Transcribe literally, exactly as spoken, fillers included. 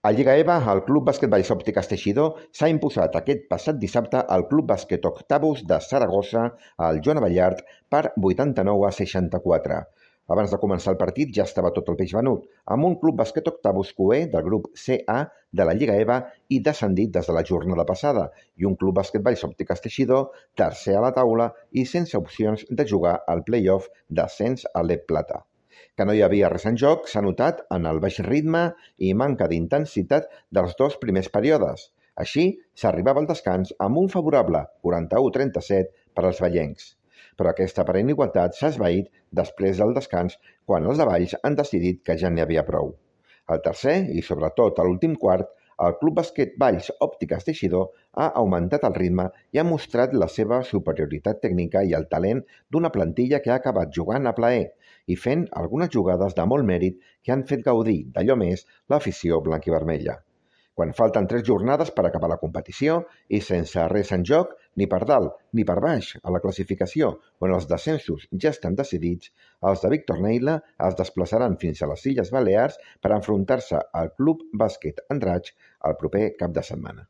A Lliga E V A, el Club Bàsquet Valls Òptiques Teixidor s'ha imposat aquest passat dissabte al Club Bàsquet Octavus de Saragossa al Joan Abellart per vuitanta-nou a seixanta-quatre. Abans de començar el partit ja estava tot el peix venut, amb un Club Bàsquet Octavus cuer del grup C A de la Lliga E V A i descendit des de la jornada passada, i un Club Bàsquet Valls Òptiques Teixidor tercer a la taula i sense opcions de jugar al play-off d'ascens a l'E P Plata. Que no hi havia res en joc s'ha notat en el baix ritme i manca d'intensitat dels dos primers períodes. Així, s'arribava al descans amb un favorable quaranta-u a trenta-set per als vallencs. Però aquesta aparent igualtat s'ha esvaït després del descans quan els de Valls han decidit que ja n'hi havia prou. Al tercer i sobretot a l'últim quart, el Club Bàsquet Valls Òptiques Teixidor ha augmentat el ritme i ha mostrat la seva superioritat tècnica i el talent d'una plantilla que ha acabat jugant a plaer i fent algunes jugades de molt mèrit que han fet gaudir d'allò més l'afició blanquivermella. Quan falten tres jornades per acabar la competició i sense res en joc, ni per dalt ni per baix a la classificació on els descensos ja estan decidits, els de Víctor Neila es desplaçaran fins a les Illes Balears per enfrontar-se al Club Bàsquet Andratx el proper cap de setmana.